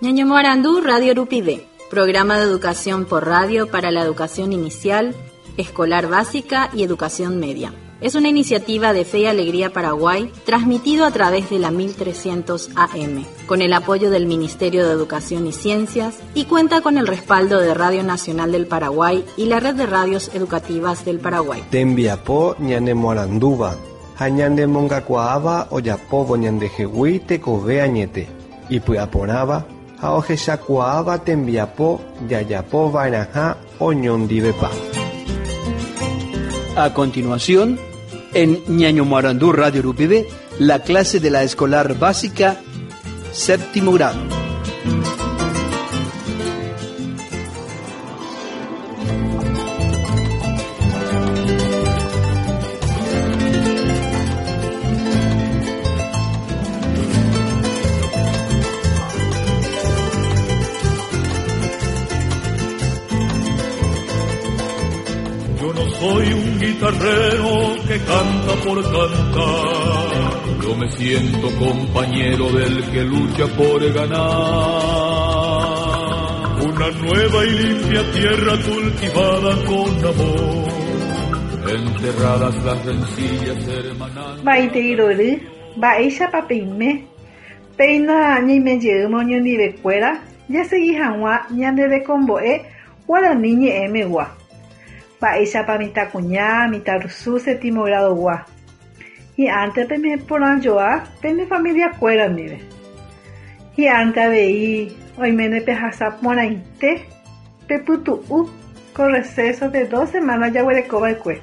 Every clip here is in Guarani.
Ñañomoarandu Radio Rupive, programa de educación por radio para la educación inicial, escolar básica y educación media. Es una iniciativa de Fe y Alegría Paraguay, transmitido a través de la 1300 AM, con el apoyo del Ministerio de Educación y Ciencias y cuenta con el respaldo de Radio Nacional del Paraguay y la Red de Radios Educativas del Paraguay. Tembiapo ñanemoarandúva ha ñanemongakuaáva ojapóvo ñandehegui tekove añete, ipy'aporãva ha ohechakuaáva tembiapo jajapova'erãha oñondivepa. A continuación, en Ñañomoarandú Radio Rupive, la clase de la escolar básica séptimo grado. Yo no soy un guitarrero que canta por cantar. Yo me siento compañero del que lucha por ganar. Una nueva y limpia tierra cultivada con amor. Enterradas las rencillas hermanas. Maitei rory, mba'éichapa peime? Péina ñaime jeýma oñondivekuéra jasegi hag̃ua ñande rekombo'e guarani ñe'ẽmegua. Mba'éichapa mitãkuña, mitãrusu séptimo grado-gua. Hi'ãnte peime porãjoa pene familia-kuéra ndive. Hi'ãnte avei oiméne pehasa porãite pepytu'u ko receso de dos semanas jaguerekova'ekue.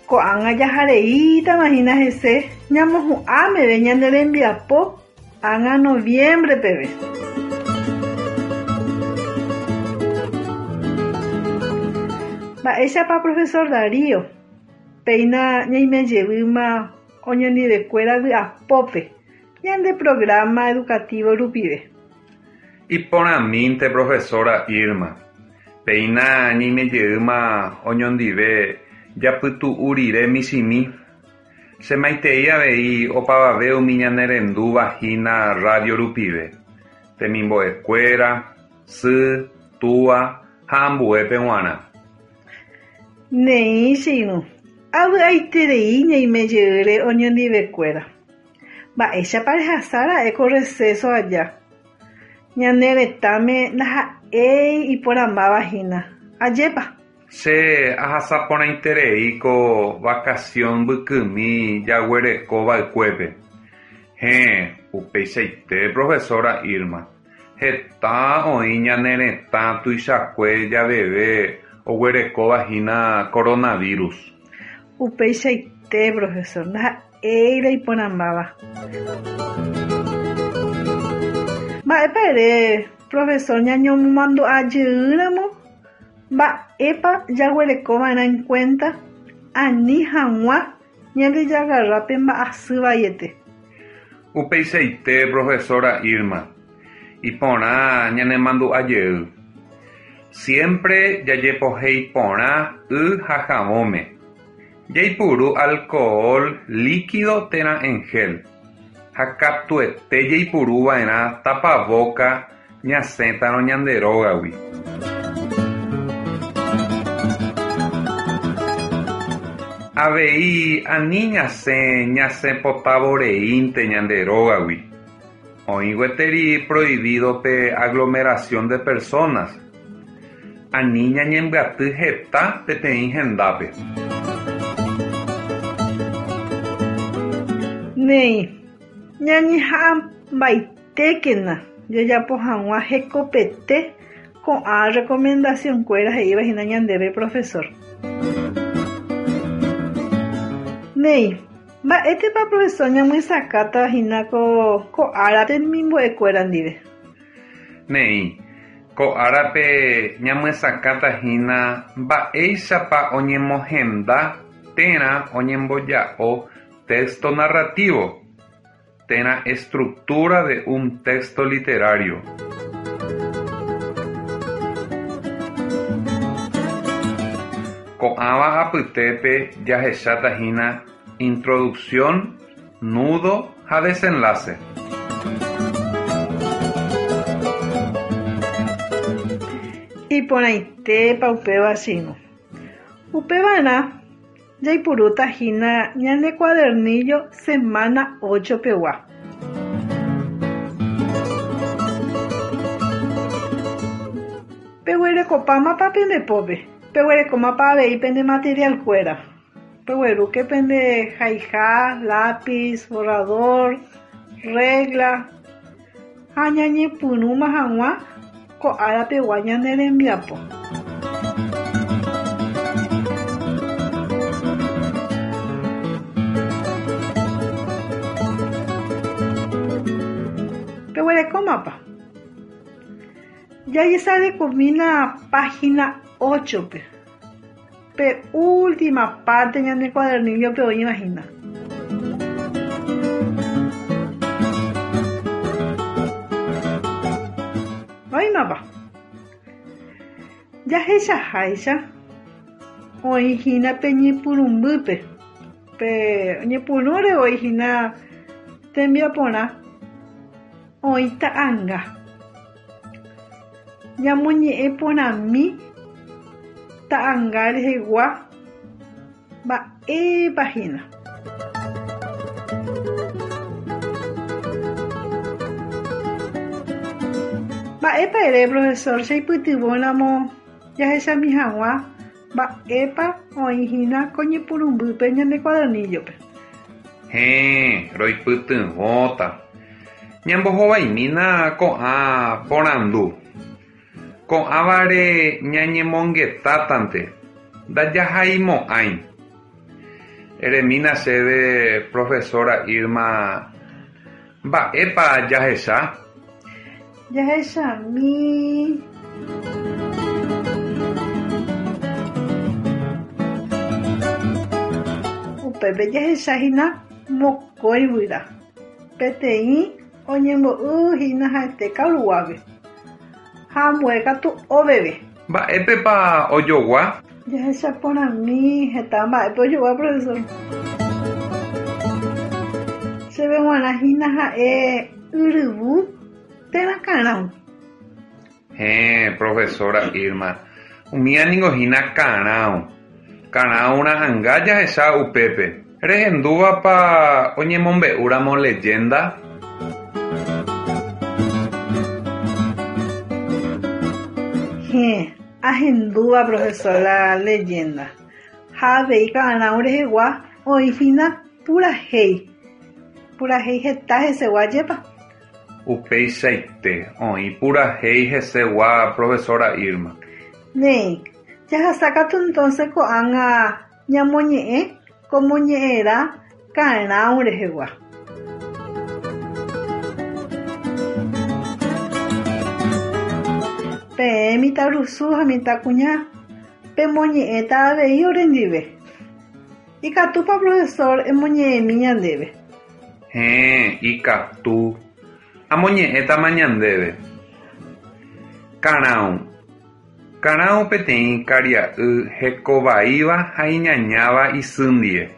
Ko'ág̃a jahareítama hína hese ñamohu'ã meve ñane rembiapo ág̃a noviembre peve. Mba'éichapa profesor Darío? Péina ñaime jevýma oñondivekuéra vy'apópe ñande programa educativo rupive. Iporãmínte profesora Irma. Péina ñaime jeýma oñondive japytu'u rire michĩmi. Che maitei avei opavave umi ñane rendúva hína radio rupive, temimbo'ekuéra, sy, túa ha ambuépe g̃uarã. Neĩ che irũ, avy'aiterei ñaime jeýre oñondivekuéra. Mba'éichapa rehasa ra'e ko receso aja? Ñane retãme ndaha'éi iporãmbáva hína. Ajépa? Che ahasa porãiterei ko vacación mbykymi jaguereko va'ekuépe. Héẽ, upeichaite profesora Irma. Heta oĩ ñane retã tuichakue javeve oguerekóva hína coronavirus. Upeichaite, profesor, ndaha'éi la iporãmbáva. Mba'épa ere, profesor, ñañomomandu'a jeýramo mba'épa jaguerekova'erã en cuenta ani hag̃ua ñandejagarra pe mba'asy vaiete? Upeichaite, profesora Irma. Iporã ñanemandu'a jey. Siempre jajepohéi porã y ha havõme. Jaipuru alcohol líquido térã en gel. Ha katuete jaipuruva'erã tapavóka ñasẽtarõ ñande rógagui. Avei ani ñasẽ ñasẽpotavoreínte ñande rógagui. Oĩ gueteri prohibido pe aglomeración de personas. Ani ñañembyaty heta peteĩ hendápe. Néi, ñañeha'ãmbaitékena jajapo hag̃ua hekopete ko'ã recomendación-kuéra he'íva hína ñandéve profesor. Néi, mba'étepa profesor ñamyesakãta hína ko ko ára temimbo'ekuéra ndive? Néi, ko árape ñamyesakãta hína mba'éichapa oñemohenda térã oñemboja'o texto narrativo térã estructura de un texto literario. Ko'ãva apytépe jahecháta hína introducción, nudo ha desenlace. Iporãitépa upéva che irũ. Upevarã jaipurúta hína ñane cuadernillo semana 8 pegua. Peguerekopámapa pende pópe? Peguerekómapa avei pende material-kuéra? Peguerúke pende haiha, lápiz, borrador, regla ha ñañepyrũma hag̃ua ko ára pegua ñane rembiapo. Peguerekómapa? Jajesarekomína página 8-pe. Pe última parte ñane cuadernillo-pe oĩva hína. Oĩmapa? Jahechaháicha oĩ hína pe ñepyrũmbýpe, pe oñepyrũre oĩ hína tembiaporã oĩ ta'anga. Ñamoñe'ẽ porãmi ta'anga rehegua mba'épa hína. Mba'épa ere profesor cheipytyvõramo jahechami hag̃ua mba'épa oĩ hína ko ñepyrũmbýpe ñande cuadernillo-pe? Héẽ, roipytyvõta. Ñambohovaimína ko'ã porandu. Ko'ãvare ñañemongetátante, ndajahaimo'ãi. Eremína chéve profesora Irma mba'épa jahecha? Jahechami. Upépe jahecha hína mokõi guyra. Peteĩ oñembo'y hína ha'ete karuguápe ha ambue katu oveve. Mba'épepa ojogua? Jahecha porãmi heta mba'épe ojogua, profesor. Chéve g̃uarã hína ha'e yryvu térã karãu. Héẽ, profesora Irma, umíva ningo hína karãu. Karãu ra'ãnga jahecha upépe. Rehendúvapa oñemombe'úramo leyenda? Héẽ, ahendúva profesor la leyenda. Ha avei karãu rehegua oĩ hína purahéi. Purahéi heta hesegua jepa. Upeichaite, oĩ purahéi hesegua profesora Irma. Néi, jahasa katu entonces ko'ág̃a ñamoñe'ẽ ko moñe'ẽrã karãu rehegua. Peẽ mitãrusu ha mitãkuña pemoñe'ẽta avei orendive. Ikatúpa profesor emoñe'ẽmi ñandéve? Héẽ, ikatu. Amoñe'ẽtama ñandéve. Karãu. Karãu peteĩ karia'y hekovaíva ha iñañáva isy ndie.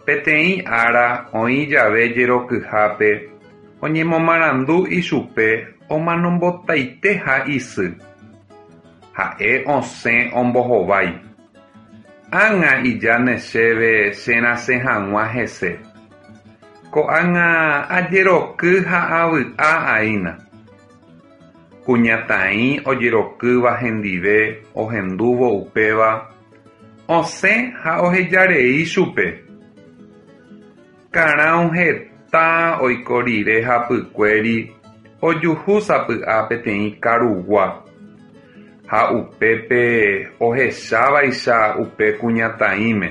Peteĩ ára oĩ jave jerokyhápe oñemomarandu ichupe omanombotaiteha isy. Ha'e osẽ ombohovái. Ág̃a ijáne chéve cherasẽ hag̃ua hese. Ko'ág̃a ajeroky ha avy'a aína. Kuñataĩ ojerokýva hendive ohendúvo upéva, osẽ ha ohejarei chupe. Karãu heta oiko rire hapykuéri ojuhu sapy'a peteĩ karugua ha upépe ohechávaicha upe kuñataĩme.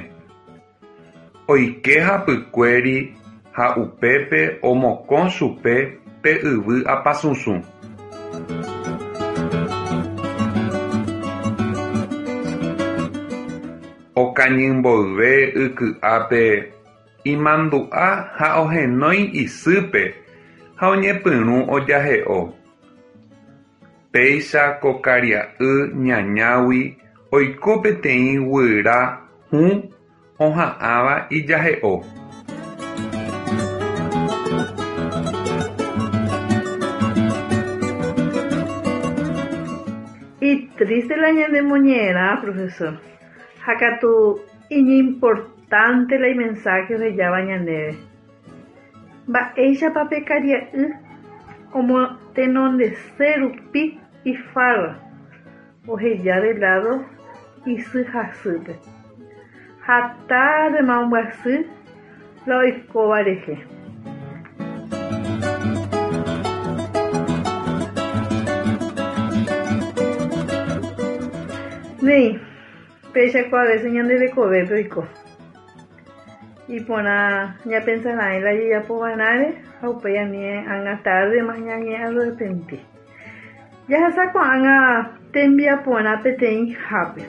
Oike hapykuéri ha upépe omokõ chupe pe yvy apasusũ. Okañy mboyve yky'ápe imandu'a ha ohenói isýpe ha oñepyrũ ojahe'o. Péicha ko karia'y ñañágui oiko peteĩ guyra hũ oha'ãva ijahe'o. Triste la ñanemoñe'ẽrã, profesor. Ha katu iñimportante la imensaje ohejáva ñandéve. Mba'éichapa pe karia'y omotenondese rupi ifarra oheja de lado isy hasýpe ha tárdema ombyasy la oikóva rehe. Néi, péicha ko a veces ñande rekovépe oiko. Iporã ñapensa raẽ la jajapo va'erãre ha upéi ani ág̃a tárdema ñañe'arrepenti. Jahasa ko'ág̃a tembiaporã peteĩ hápe.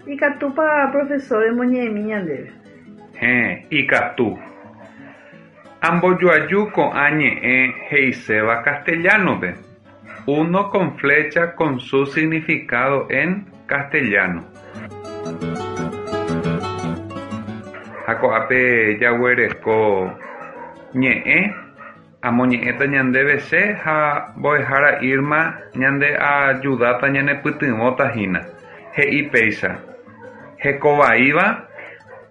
Ikatúpa profesor emoñe'ẽmi ñandéve? Héẽ, ikatu. Ambojoaju ko'ã ñe'ẽ he'iséva castellano-pe, uno con flecha con su significado en castellano. Ha ko'ápe jaguereko ñe'ẽ, amoñe'ẽta ñandéve che ha mbo'ehára Irma ñandeajudáta ñanepytyvõta hína. He'i péicha, Hekovaíva.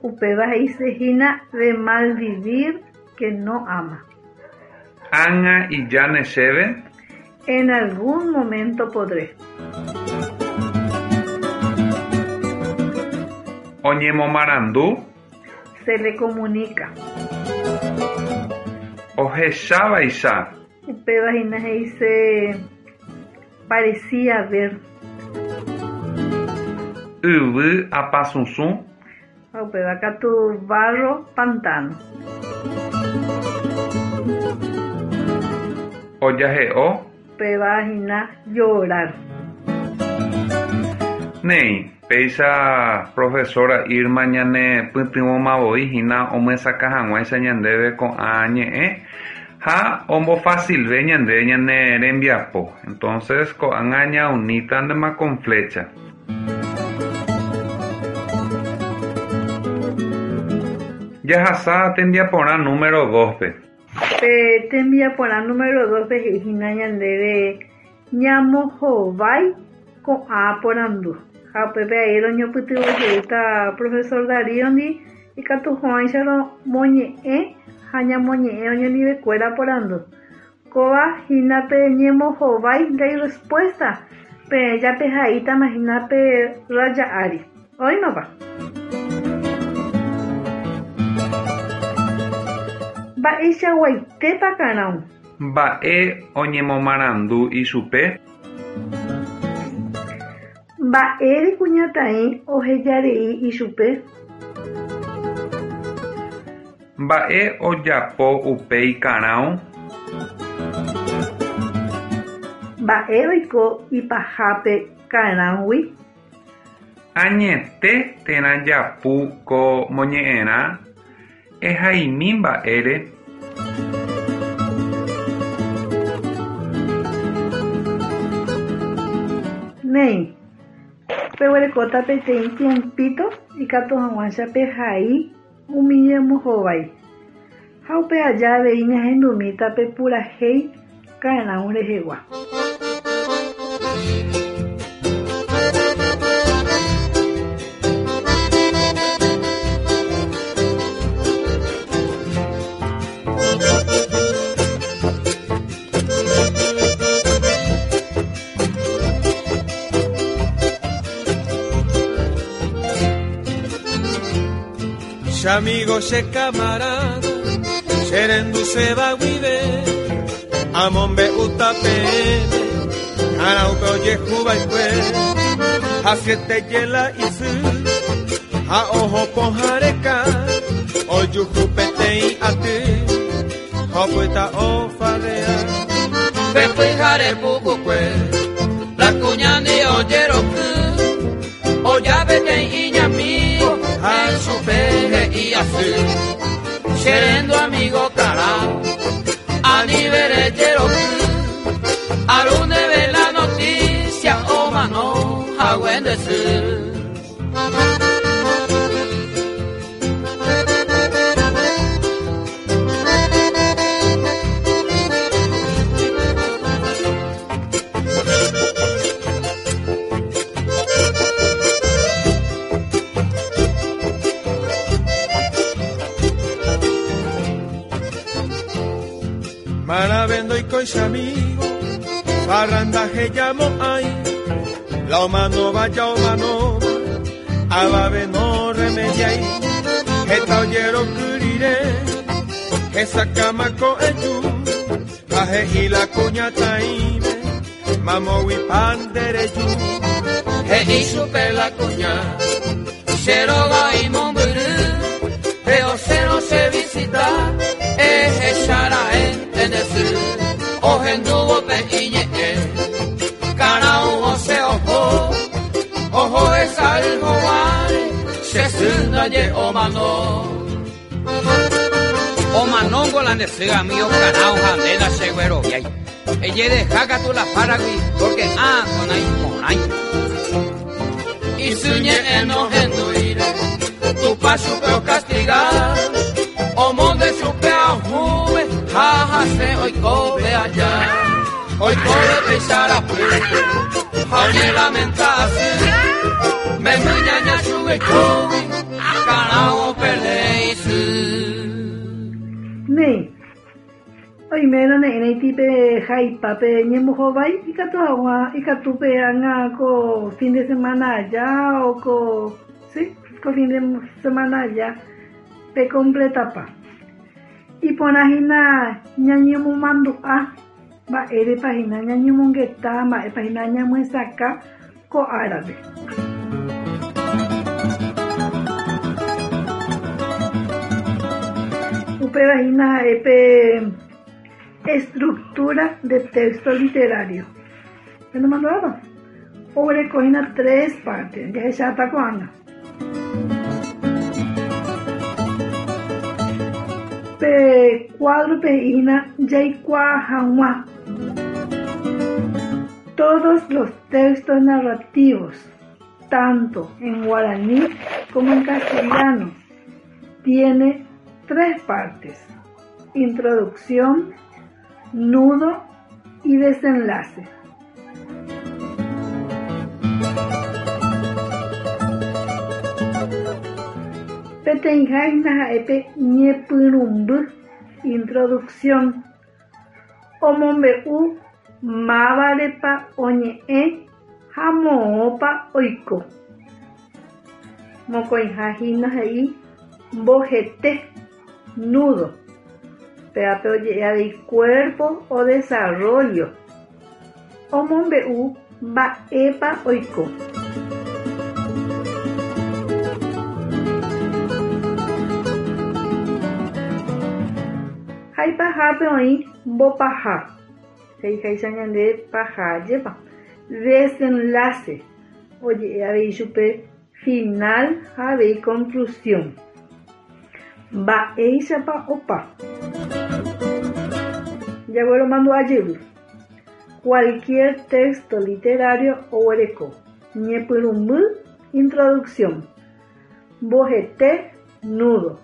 Upéva he'isehína de mal vivir que no ama. Ág̃a ijáne chéve. En algún momento podré. Oñemomarandu. Se le comunica. Ohechávaicha. Upéva hína he'ise parecía ver. Yvy apasusũ. Ha upéva katu barro pantano. Ojahe'o. Upéva hína llorar. Néi, péicha profesora Irma ñane pytyvõmavoi hína omyesakã hag̃uáicha ñandéve ko'ã ñe'ẽ ha ombofacilve ñande ñane rembiapo. Entonces ko'ág̃a ñaunítantema con flecha. Jahasa tembiaporã número 2-pe. Pe tembiaporã número 2-pe he'íhina ñandéve ñamohovái ko'ã porandu. Ha upépe ae roñopytyvõjeýta profesor Darío-ndi ikatuhag̃uáicha romoñe'ẽ ha ñamoñe'ẽ oñondivekuéra porandu. Kóva hína pe ñemohovái la respuesta peẽ japehaítama hína pe raya ári. Oĩmapa? Mba'eichaguaitépa Karão? Mba'e oñemomarandu ichupe? Mba'ére kuñataĩ ohejarei ichupe? Mba'e ojapo upéi Karão? Mba'e oiko ipahápe Karãugui? Añete térã japu ko moñe'ẽrã ehaimi mba'ére. Néi, peguerekóta peteĩ tiempito ikatu hag̃uáicha pehai umi ñemohovái. Ha upe aja avei ñahendumíta pe purahéi Karão rehegua. Che amigo, che camarada, cherendu se va guive, amombe'úta peẽme, Karãupe ojehuva'ekue, hasyete jela isy, ha oho pohãreka, ojuhu peteĩ aty, ha opyta ofarrea. Pe pyhare pukukue, la kuñandi ojeroky, oja peteĩ iñamigo, ha chupe he'i asy. Cherendu amigo Karão, anive rejeroky, aru ndéve la noticia omano hague nde sy. soy su amigo, parranda llamo ay, la omano vaya omano, ababe no remediai, eta oyero curire, esa cama eyu, aje y la cuña taime, mamo pandereyu, he supe la cuña, xeroga y momburu, pero cero se visita, ejechara entendesu, ojenduvo pe iñe, carao ose ojo, ojo es algo vale, se ye omano. Omanongo la nesega mío carao jandela seguero yay. Ella de jaca tu la paragui, porque ah con ahí con ahí. Y suñe enojenduire, tu paso pero castigar, o monde supe a juve, jaja se hoy cobe allá, hoy cobe pesar a puente, jañe lamentase, me muñaña sube kobe, carao peleisu. Nei, oimérõ ne'ẽraiti pe jaipa pe ñembohovái ikatu hag̃ua ikatu pe ág̃a ko fin de semana aja o ko sí, ko fin de semana aja pe completapa. Iporãhína ñañemomandu'a mba'érepa hína ñañemongeta mba'épa hína ñamyesakã ko árape. Upéva hína ha'e pe estructura de texto literario. Penemandu'ápa? Oguereko hína tres partes, jahecháta ko'ág̃a. Pe cuadro-pe he'i hína jaikuaa hag̃ua. Todos los textos narrativos, tanto en guaraní como en castellano, tiene tres partes: introducción, nudo y desenlace. Peteĩha hína ha'e pe ñepyrũmby introducción omombe'u mávarepa oñe'ẽ ha moõpa oiko. Mokõiha hína he'i mbohete, nudo, pévape oje'e avei cuerpo o desarrollo, omombe'u mba'épa oiko. Ha ipahápe oĩ mbopaha, he'iháicha ñande paha jepa, desenlace, oje'e avei chupe final ha avei conclusión. Mba'éichapa opa. Jagueromandu'a jevy. Cualquier texto literario oguereko ñepyrũmby introducción, mbohete nudo,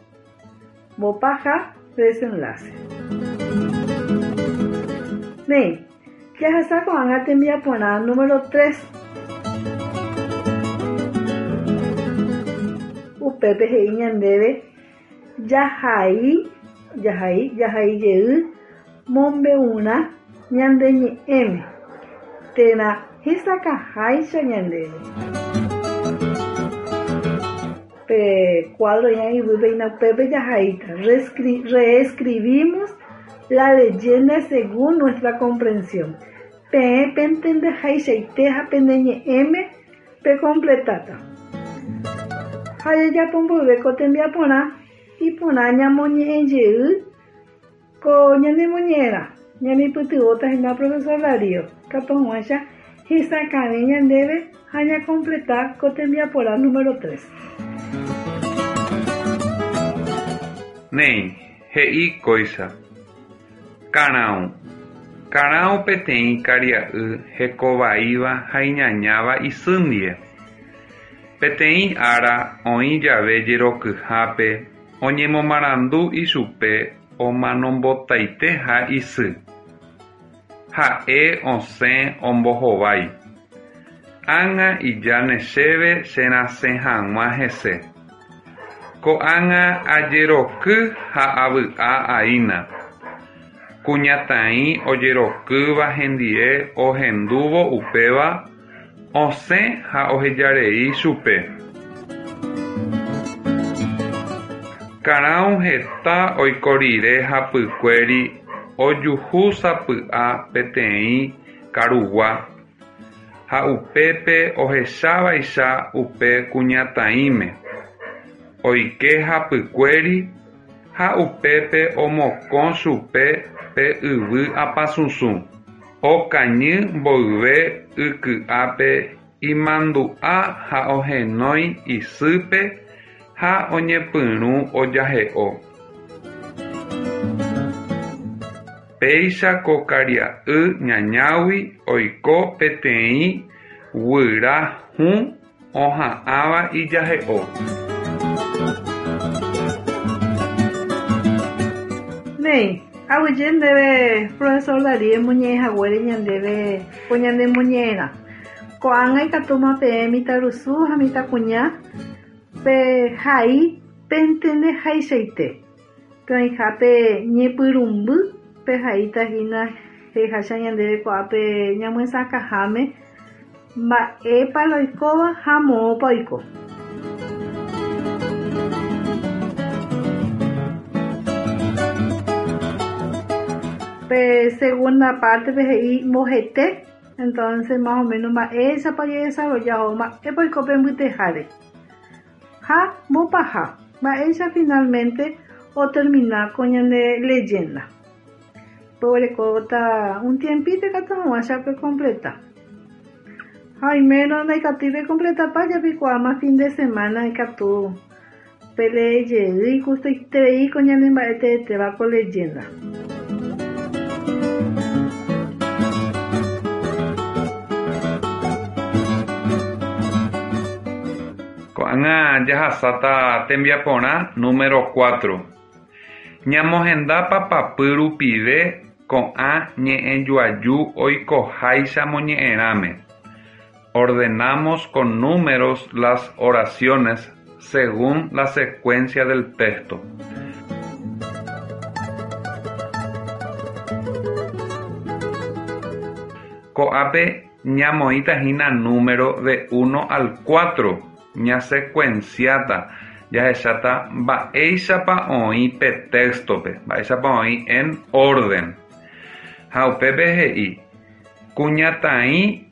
mbopaha desenlace. Néi, jahasa ko'ág̃a tembiaporã número 3. Upépe he'i ñandéve jahai, jahai, jahai jey mombe'urã ñande ñe'ẽme térã hesakãháicha ñandéve. Pe cuadro ña yvýpe hína upépe jahaíta. Reescribimos la leyenda según nuestra comprensión. Peẽ pentendehaichaite ha pende ñe'ẽme pecompletáta. Ha jajapo mboyve ko tembiaporã iporã ñamoñe'ẽ jey ko ñanemoñe'ẽrã. Ñaneipytyvõta hína profesor Darío katu hag̃uáicha hesakãve ñandéve ha ñacompleta ko tembiaporã número 3. Néi, he'i kóicha. Karão. Karão peteĩ karia'y hekovaíva ha iñañáva isy ndive. Peteĩ ára oĩ jave jerokyhápe oñemomarandu ichupe omanombotaiteha isy. Ha'e osẽ ombohovái. Ág̃a ijáne chéve cherasẽ hag̃ua hese. Ko'ág̃a ajeroky ha avy'a'aína. Kuñataĩ ojerokýva hendie ohendúvo upéva osẽ ha ohejarei chupe. Karão heta oiko rire hapykuéri ojuhu sapy'a peteĩ karugua ha upépe ohechávaicha upe kuñataĩme. Oike hapykuéri ha upépe omokõ chupe pe yvy apasusũ. Okañy mboyve yky'ápe imandu'a ha ohenói isýpe ha oñepyrũ ojahe'o. Péicha ko karia'y ñañágui oiko peteĩ guyra hũ oha'ãva ijahe'o. Néi, aguyje ndéve profesor Darío emoñe'ẽ haguére ñandéve ko ñane moñe'ẽrã. Ko'ág̃a ikatúma peẽ mitãrusu ha mitãkuña pehai pentendehaichaite. Pe oĩhápe ñepyrũmby pehaíta hína he'iháicha ñandéve ko'ápe ñamyesakãháme mba'épa la oikóva ha moõpa oiko. Pe segunda pártepe he'i mbohete, entonces más o menos mba'éichapa ojedesarrolla ohóvo, mba'épa oiko pe mbyteháre. Ha mbopaha, mba'éicha finalmente otermina ko ñane leyenda. Peguerekóta un tiempito ikatu hag̃uáicha pekompleta. Ha oimérõ ndaikatúi pekompletapa japikuaáma fin de semana ikatu pelee jey igustoiterei ko ñane mba'e teetéva ko leyenda. Ko'ág̃a jahasáta tembiaporã número cuatro. Ñamohenda papapy rupive ko'ã ñe'ẽjoaju oikoháicha moñe'ẽrãme. Ordenamos con números las oraciones según la secuencia del texto. Ko'ápe ñamoĩta hína número de uno al cuatro, ñasecuenciáta, jahecháta mba'éichapa oĩ pe texto-pe, mba'éichapa oĩ en orden. Ha upépe he'i, Kuñataĩ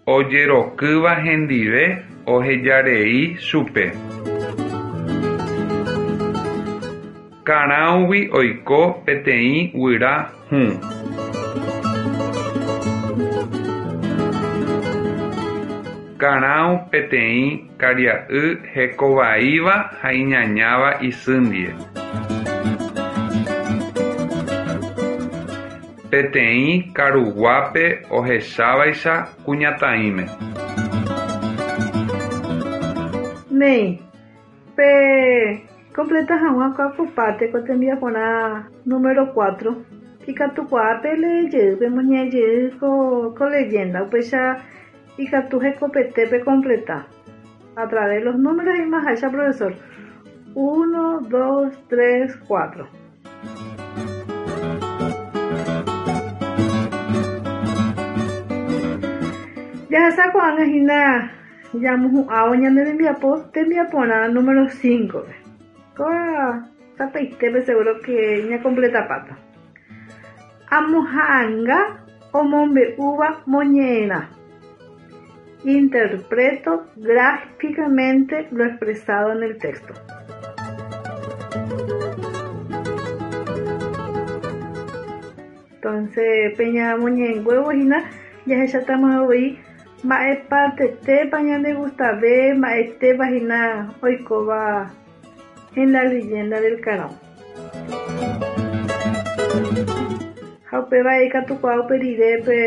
ojerokýva hendive ohejarei chupe. Karãugui oiko peteĩ guyra hũ. Karãu peteĩ karia'y hekovaíva ha iñañáva isy ndie. Peteĩ karuguápe ohechávaicha kuñataĩme. Néi, pe completa hag̃ua ko akopáte ko tembiaporã número cuatro, ikatukuaa pelee jey, pemoñe'ẽ jey ko ko leyenda, upéicha ikatu hekopete pe completa a través los números he'imaháicha profesor, uno, dos, tres, cuatro. Jahasa ko'ág̃a hína jamohu'ãvo ñane rembiapo tembiaporã número 5-pe. Kóva sapy'aitépe seguro que ñakompletapáta. Amoha'anga omombe'úva moñe'ẽrã. Interpreto gráficamente lo expresado en el texto. Entonces, pe ñamoñe'ẽnguévo hína jahechatama voi mba'e partetépa ñandegustave, mba'etépa hína oikóva en la leyenda del Karão. Ha upéva ikatukuaa upe rire pe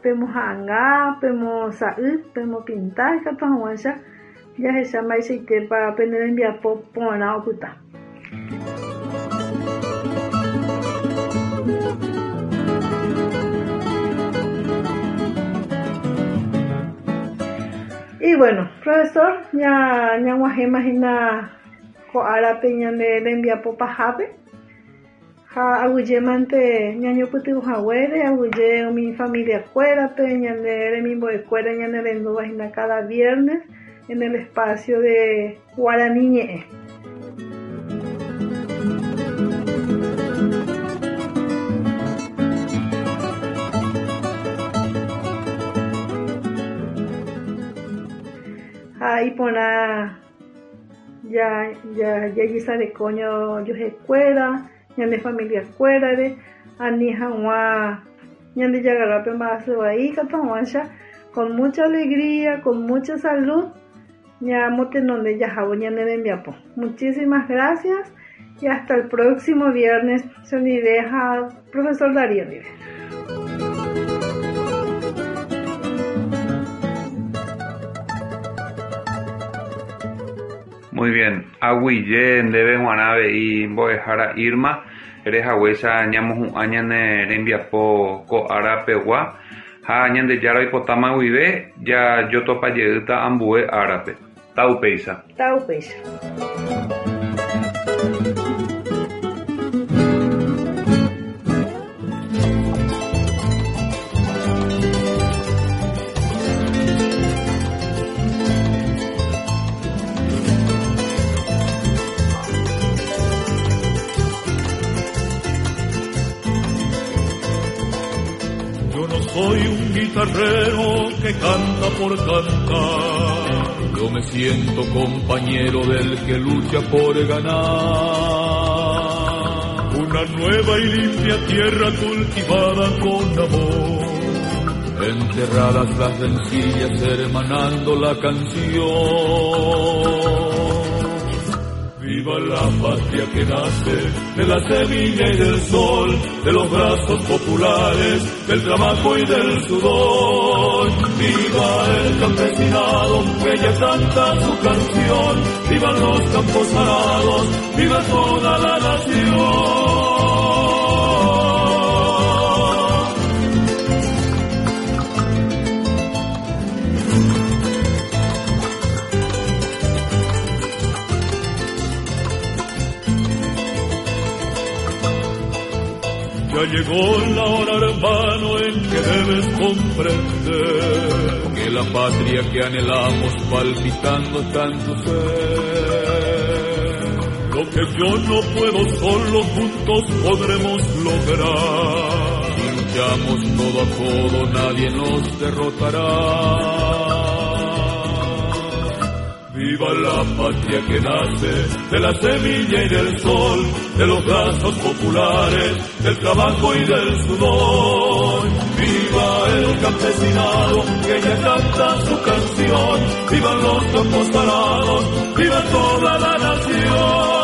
pemoha'anga, pemosa'y, pemopinta ikatu hag̃uáicha jahecha mba'eichaitépa pene rembiapo porã opyta. Y bueno, profesor, ñag̃uahẽma hína ko árape ñane rembiapo pahápe. Ha aguyjémante ñañopytyvõhaguére, aguyje umi familia-kuérape, ñane remimbo'ekuéra ñanerendúva hína cada viernes en el espacio de Guarani ñe'ẽ. Ha iporã jajesareko ñojuehekuéra, ñane familia-kuérare, ani hag̃ua ñandejagarrápe mba'asy vai katu hag̃uáicha con mucha alegría, con mucha salud ñamotenonde jahávo ñane rembiapo. Muchísimas gracias y hasta el próximo viernes. Chendive ha profesor Darío ndive. Muy bien, aguyje ndéve g̃uarã avei mbo'ehára Irma, rehaguéicha ñamohu'ã ñane rembiapo ko ára pegua ha Ñandejára oipotáma guive jajotopajeýta ambue árape. Taupéicha. Taupéicha. Yo no soy un guitarrero que canta por cantar. Yo me siento compañero del que lucha por ganar. Una nueva y limpia tierra cultivada con amor. Enterradas las rencillas, hermanando la canción. Viva la patria que nace de la semilla y del sol, de los brazos populares, del trabajo y del sudor. Viva el campesinado que ya canta su canción, vivan los campos arados, viva toda la nación. Ya llegó la hora, hermano, en que debes comprender que la patria que anhelamos palpitando está en tu ser. Lo que yo no puedo solo, juntos podremos lograr. Si luchamos codo a codo, nadie nos derrotará. Viva la patria que nace de la semilla y del sol, de los brazos populares, del trabajo y del sudor. Viva el campesinado que ya canta su canción, vivan los campos arados, viva toda la nación.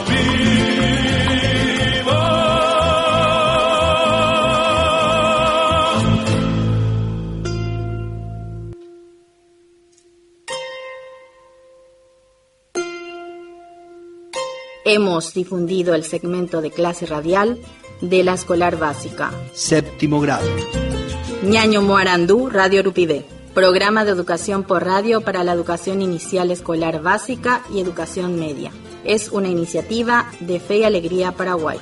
¡Viva! Hemos difundido el segmento de clase radial de la escolar básica. Séptimo grado. Ñaño Moarandú, Radio Rupivé. Programa de educación por radio para la educación inicial escolar básica y educación media. Es una iniciativa de Fe y Alegría Paraguay.